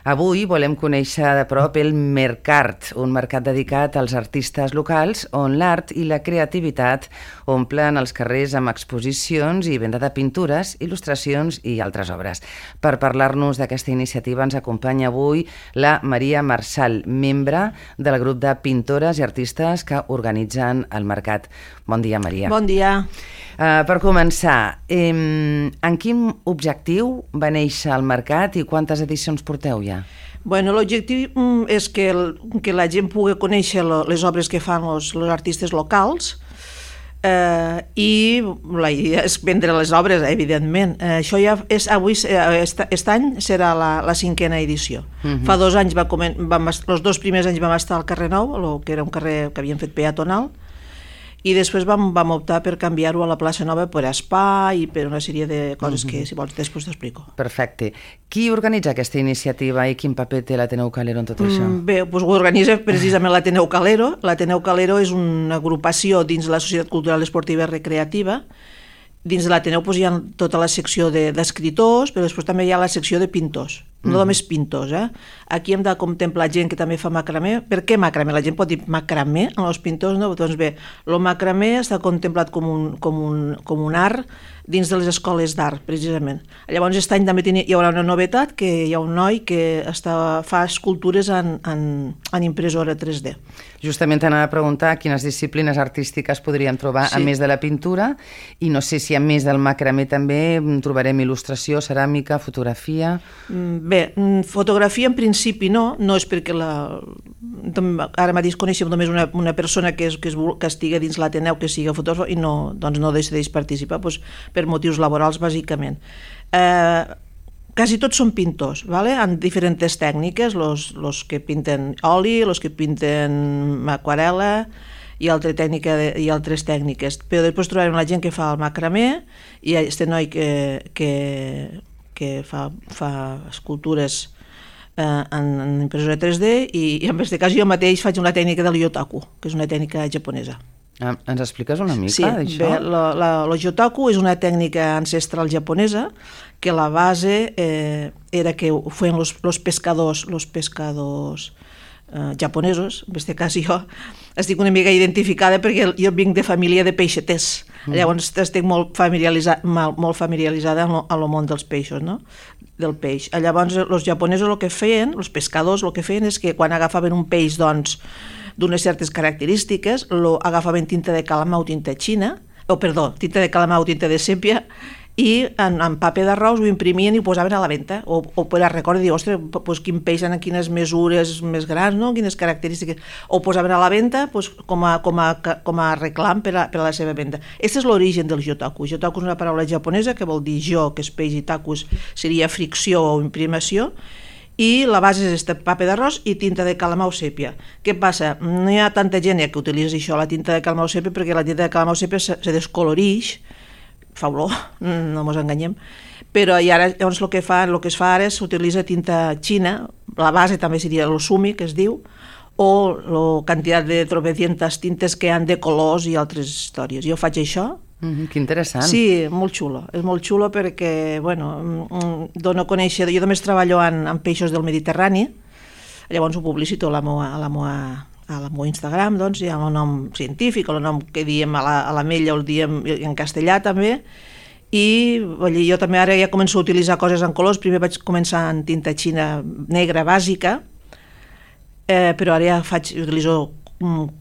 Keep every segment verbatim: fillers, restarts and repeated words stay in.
Avui volem conèixer de prop el Mercart, un mercat dedicat als artistes locals on l'art i la creativitat omplen els carrers amb exposicions i venda de pintures, il·lustracions i altres obres. Per parlar-nos d'aquesta iniciativa ens acompanya avui la Maria Marsal, membre del grup de pintores i artistes que organitzen el mercat. Bon dia, Maria. Bon dia. Uh, per començar, eh, en quin objectiu va néixer el mercat i quantes edicions porteu ja? Bueno, l'objectiu és que, el, que la gent pugui conèixer lo, les obres que fan els artistes locals eh, i la idea és vendre les obres, evidentment. Eh, això ja és avui, est, est any serà la, la cinquena edició. Uh-huh. Fa dos anys, va comen, vam, els dos primers anys vam estar al carrer Nou, lo, que era un carrer que havien fet peatonal, i després vam, vam optar per canviar-ho a la plaça Nova per espai i per una sèrie de coses que, si vols, després t'explico. Perfecte. Qui organitza aquesta iniciativa i quin paper té l'Ateneu Calero en tot això? Mm, bé, doncs ho organitza precisament l'Ateneu Calero. L'Ateneu Calero és una agrupació dins la Societat Cultural Esportiva i Recreativa. Dins de l'Ateneu doncs, hi ha tota la secció d'escriptors, però després també hi ha la secció de pintors. No mm. només pintors, eh? Aquí hem de contemplar gent que també fa macramé. Per què macramé? La gent pot dir macramé en els pintors, no? Doncs bé, el macramé està contemplat com un, com un, com un art dins de les escoles d'art, precisament. Llavors, aquest any també hi haurà una novetat, que hi ha un noi que està, fa escultures en, en, en impressora tres D. Justament t'anava a preguntar quines disciplines artístiques podríem trobar, sí, a més de la pintura, i no sé si a més del macramé també trobarem il·lustració, ceràmica, fotografia... Bé, fotografia en principi no, no és perquè la... ara mateix coneixem només una, una persona que, és, que, és, que estigui dins l'Ateneu, que sigui fotògraf, i no, doncs no decideix participar doncs, per motius laborals, bàsicament. Eh, quasi tots són pintors, ¿vale? En diferents tècniques, els que pinten oli, els que pinten aquarel·la i, altra tècnica de, i altres tècniques. Però després trobarem la gent que fa el macramé i aquest noi que... que que fa, fa escultures eh, en, en impressora tres D i, i en aquest cas jo mateix faig una tècnica del yotaku, que és una tècnica japonesa. Ah, ens expliques una mica sí, d'això? Sí, el yotaku és una tècnica ancestral japonesa que la base eh, era que ho feien els pescadors, los pescadors eh, japonesos. En aquest cas jo estic una mica identificada perquè jo vinc de família de peixeters. Mm. Llavors estic molt familiaritzada, molt familiaritzada en el món dels peixos, no? Del peix. Llavors els japonesos el que feien, els pescadors el que feien és que quan agafaven un peix doncs d'unes certes característiques, lo agafaven tinta de calamar o tinta xina, o perdó, tinta de calamar o tinta de sèpia, i en, en paper d'arròs ho imprimien i ho posaven a la venda, o, o per a recordar, dir, ostres, pues, quin peix en quines mesures més grans, no? Quines característiques, o posaven a la venda pues, com, a, com, a, com a reclam per a, per a la seva venda. Aquest és l'origen del yotaku. Yotaku és una paraula japonesa que vol dir jo, que és peix, i takus seria fricció o imprimació, i la base és este paper d'arròs i tinta de calamar o sèpia. Què passa? No hi ha tanta gent que utilitza això, la tinta de calamar o sèpia, perquè la tinta de calamar o sèpia se, se descolorix, fa olor, no ens enganyem, però i ara llavors el que, fa, el que es fa ara és s'utilitza tinta xina, la base també seria el sumi, que es diu, o la quantitat de tropecientas tintes que han de colors i altres històries. Jo faig això. Mm-hmm, que interessant. Sí, molt xulo, és molt xulo perquè, bueno, dono a conèixer, jo només treballo en, en peixos del Mediterrani, llavors ho publicito a la meva, a la meva a la meu Instagram, doncs, hi ha el nom científic, el nom que diem a la, a la Mella, el diem en castellà també, i dir, jo també ara ja començo a utilitzar coses en colors. Primer vaig començar en tinta xina negra bàsica, eh, però ara ja faig, utilitzo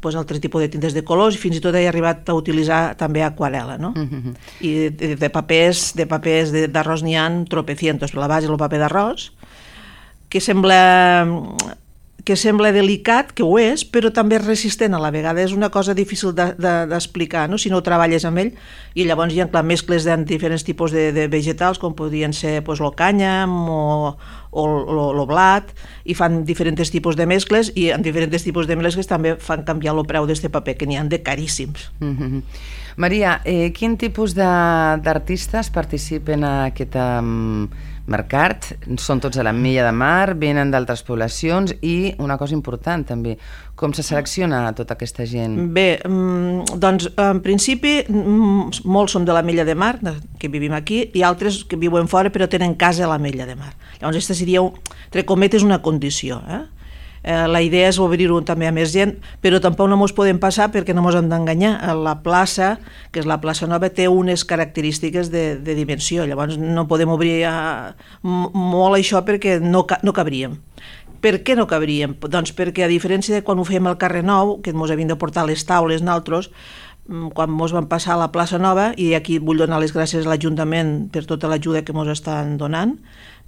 pues, altres tipus de tintes de colors i fins i tot he arribat a utilitzar també aquarel·la, no? Mm-hmm. I de, de papers de papers d'arròs n'hi ha tropecientos, però la base és el paper d'arròs, que sembla... que sembla delicat, que ho és, però també és resistent a la vegada. És una cosa difícil d'explicar, no? Si no ho treballes amb ell. I llavors hi ha clar, mescles de diferents tipus de, de vegetals, com podrien ser pues, el cànyam o, o el blat, i fan diferents tipus de mescles, i en diferents tipus de mescles també fan canviar el preu d'aquest paper, que n'hi ha de caríssims. Mm-hmm. Maria, eh, quin tipus d'artistes participen a aquesta um, mercat, són tots a l'Ametlla de Mar, venen d'altres poblacions i una cosa important també, com se selecciona tota aquesta gent? Bé, doncs en principi molts som de l'Ametlla de Mar, que vivim aquí, i altres que viuen fora però tenen casa a l'Ametlla de Mar. Llavors aquesta seria, entre cometes, una condició, eh? Eh, la idea és obrir-ho també a més gent, però tampoc no ens podem passar perquè no ens hem d'enganyar. La plaça, que és la plaça Nova, té unes característiques de, de dimensió, llavors no podem obrir a, molt això perquè no, no cabríem. Per què no cabríem? Doncs perquè a diferència de quan ho fèiem al carrer Nou, que ens havien de portar les taules nosaltres, quan ens vam passar a la plaça Nova, i aquí vull donar les gràcies a l'Ajuntament per tota l'ajuda que ens estan donant,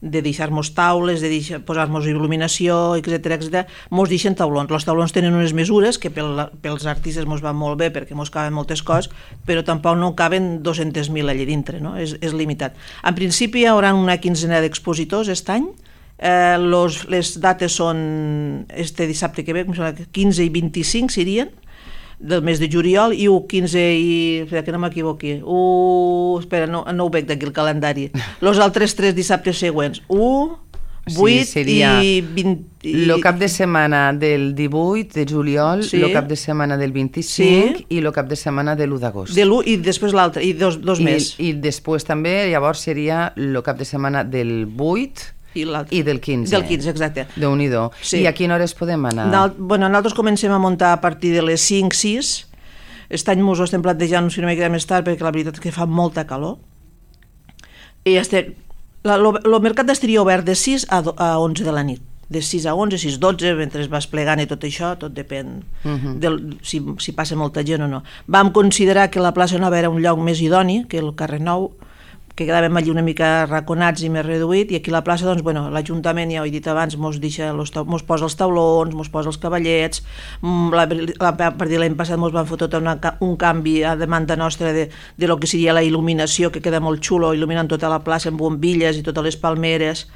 de deixar-nos taules, de posar-nos il·luminació, etcètera, etcètera, ens deixen taulons. Els taulons tenen unes mesures que pel, pels artistes ens van molt bé perquè ens caben moltes coses, però tampoc no caben dos-cents mil allà dintre, no? És, és limitat. En principi hi haurà una quinzena d'expositors aquest any. Eh, los, les dates són este dissabte que ve, quinze i vint-i-cinc serien, del mes de juliol, i u, quinze i... espera, que no m'equivoqui. U... espera, no, no ho veig d'aquí el calendari. Els altres tres dissabtes següents. u, vuit sí, i vint... El cap de setmana del divuit de juliol, el sí. cap de setmana del vint-i-cinc sí. i el cap de setmana de l'u d'agost. De l'u i després l'altre, i dos, dos I, més. I després també, llavors seria el cap de setmana del vuit... I, I del quinze. Del quinze, exacte. Déu-n'hi-do. Sí. I a quina hora es podem anar? Nal, bueno, nosaltres comencem a muntar a partir de les cinc sis. Aquest any ens ho estem plantejant una mica més tard perquè la veritat és que fa molta calor. I este, el mercat estaria obert de sis a, do, a onze de la nit. De sis a onze, sis a dotze, mentre es va esplegant i tot això, tot depèn uh-huh. del, si, si passa molta gent o no. Vam considerar que la plaça Nova era un lloc més idoni que el carrer Nou, que quedàvem allí una mica raconats i més reduït, i aquí a la plaça, doncs, bueno, l'Ajuntament, ja ho he dit abans, mos, deixa los, mos posa els taulons, mos posa els cavallets, la, la, a partir de l'any passat mos van fer tot una, un canvi a demanda nostra de, de lo que seria la il·luminació, que queda molt xulo, il·luminant tota la plaça amb bombilles i totes les palmeres,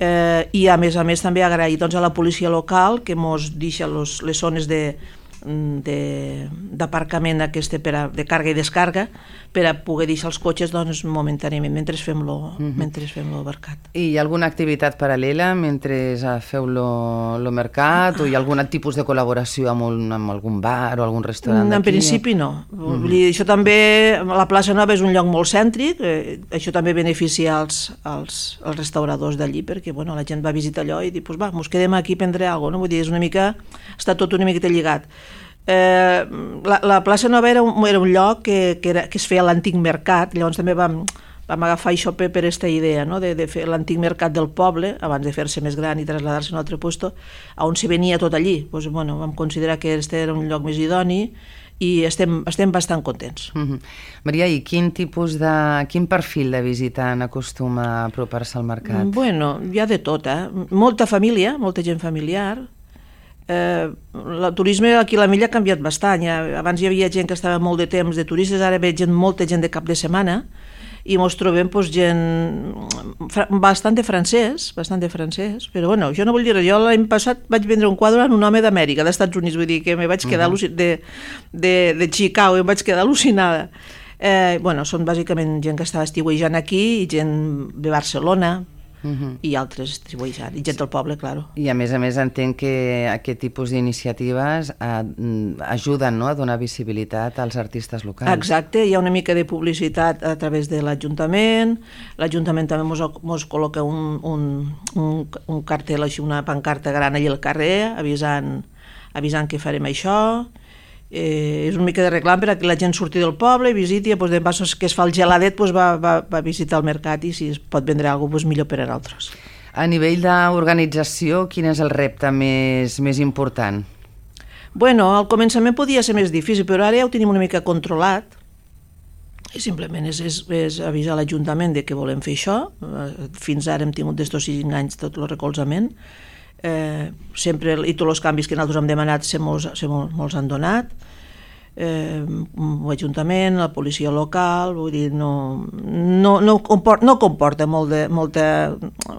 eh, i a més a més també agrair doncs, a la policia local que mos deixa los, les zones de d'aparcament de, per a, de càrrega i descàrrega per a poder deixar els cotxes doncs, momentàniament mentre fem lo, uh-huh. mentre fem lo mercat. I hi ha alguna activitat paral·lela mentre feu lo, lo mercat o hi ha algun tipus de col·laboració amb, un, amb algun bar o algun restaurant d'aquí? En principi no. Uh-huh. Això també, la plaça Nova és un lloc molt cèntric, eh, això també beneficia els, els, els restauradors d'allí perquè bueno, la gent va visitar allò i dir, pues va, mos quedem aquí a prendre alguna cosa, no? Vull dir, és una mica, està tot una miqueta lligat. Eh, la, la plaça Nova era un, era un lloc que, que, era, que es feia l'antic mercat, llavors també vam, vam agafar això per aquesta idea, no? de, de fer l'antic mercat del poble abans de fer-se més gran i traslladar-se a un altre lloc on se venia tot allí. Pues, bueno, vam considerar que aquest era un lloc més idoni i estem, estem bastant contents. Uh-huh. Maria, i quin tipus de, quin perfil de visitant acostuma a apropar-se al mercat? Bueno, hi ha de tot, eh? Molta família, molta gent familiar. Eh, el turisme aquí a l'Ametlla ha canviat bastant. Ja, abans hi havia gent que estava molt de temps de turistes, ara ve gent, molta gent de cap de setmana i ens trobem pues, gent bastant de francès, bastant de francès, però bueno, jo no vull dir, jo l'any passat vaig vendre un quadre en un home d'Amèrica, dels Estats Units, vull dir que me vaig quedar uh-huh. de, de, de Chicago, em vaig quedar al·lucinada. Eh, bueno, són bàsicament gent que estava estiuejant aquí i gent de Barcelona, Uh-huh. i altres distribuïts, i gent del poble, claro. I a més a més entenc que aquest tipus d'iniciatives eh, ajuden, no?, a donar visibilitat als artistes locals. Exacte, hi ha una mica de publicitat a través de l'Ajuntament, l'Ajuntament també mos, mos col·loca un, un, un, un cartel, així, una pancarta gran allà al carrer, avisant, avisant que farem això. Eh, és una mica de reclam per a que la gent surti del poble i visiti, doncs, de passos que es fa el geladet doncs va, va, va visitar el mercat i si es pot vendre alguna cosa doncs millor per a nosaltres. A nivell d'organització, quin és el repte més, més important? Bueno, al començament podia ser més difícil, però ara ja ho tenim una mica controlat i simplement és, és, és avisar l'Ajuntament de que volem fer això. Fins ara hem tingut d'estos cinc anys tot el recolzament. Eh, sempre, i tots els canvis que nosaltres hem demanat se mos, se mos han donat. eh, l'Ajuntament, la policia local, vull dir, no, no, no, comporta, no comporta molt de, molta,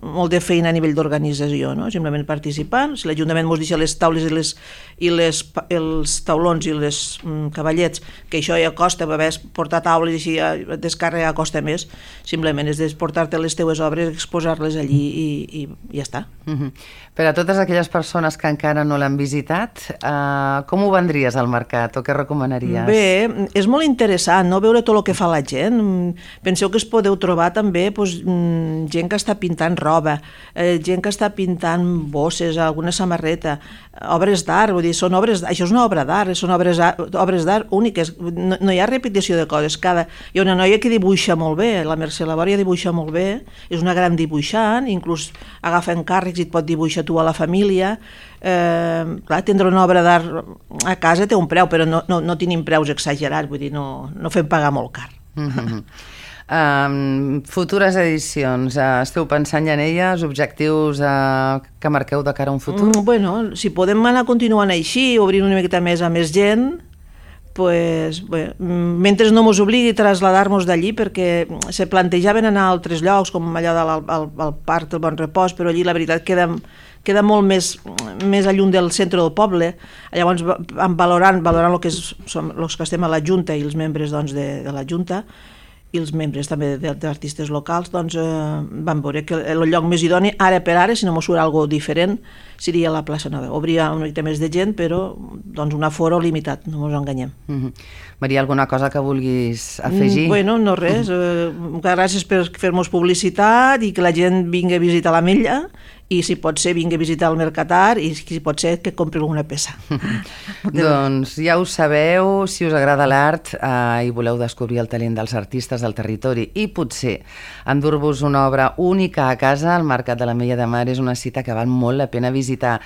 molt de feina a nivell d'organització, no? Simplement participant. Si l'Ajuntament ens deixa les taules i, les, i les, els taulons i les mm, cavallets, que això ja costa, a portar taules i així a descàrrega costa més, simplement és portar-te les teues obres, exposar-les allí i, i, i ja està. Mm-hmm. Per a totes aquelles persones que encara no l'han visitat, eh, com ho vendries al mercat o què recomanaries? Bé, és molt interessant, no?, veure tot el que fa la gent. Penseu que es podeu trobar també doncs, gent que està pintant roba, eh, gent que està pintant bosses, alguna samarreta, obres d'art, vull dir, són obres, això és una obra d'art, són obres, obres d'art úniques, no, no hi ha repetició de coses. Cada, hi ha una noia que dibuixa molt bé, la Mercè Labòria dibuixa molt bé, és una gran dibuixant, inclús agafa encàrrecs i et pot dibuixar tu a la família. Eh, clar, tindre una obra d'art a casa té un preu, però no, no, no tenim preus exagerats, vull dir, no, no fem pagar molt car. Mm-hmm. Um, futures edicions, uh, esteu pensant ja en elles, objectius uh, que marqueu de cara a un futur? Mm, bueno, si podem anar continuant així, obrint una miqueta més a més gent, pues, bé, mentre no ens obligui a traslladar-nos d'allí, perquè se plantejaven anar a altres llocs, com allà del al, al Parc del Bon Repòs, però allí la veritat queda, queda molt més, més lluny del centre del poble. Llavors, valorant, valorant el que, és, som, els que estem a la Junta i els membres doncs, de, de la Junta, i els membres també d'artistes locals, doncs eh, van veure que el lloc més idoni, ara per ara, si no mos surt alguna cosa diferent, seria la plaça Nova. Obria una mica més de gent, però doncs, un aforo limitat, no ens enganyem. Mm-hmm. Maria, alguna cosa que vulguis afegir? Mm, bueno, no res. Mm-hmm. eh, gràcies per fer-nos publicitat i que la gent vingui a visitar l'Ametlla, i si pot ser vingui a visitar el Mercatar i si pot ser que compri alguna peça. Doncs ja ho sabeu, si us agrada l'art eh, i voleu descobrir el talent dels artistes del territori i potser endur-vos una obra única a casa, el Mercat de l'Ametlla de Mar és una cita que val molt la pena visitar.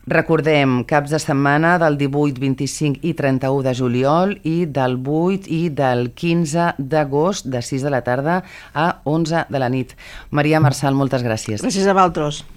Recordem, caps de setmana del divuit, vint-i-cinc i trenta-u de juliol i del vuit i del quinze d'agost de sis de la tarda a onze de la nit. Maria Marçal, moltes gràcies. Gràcies a vosaltres.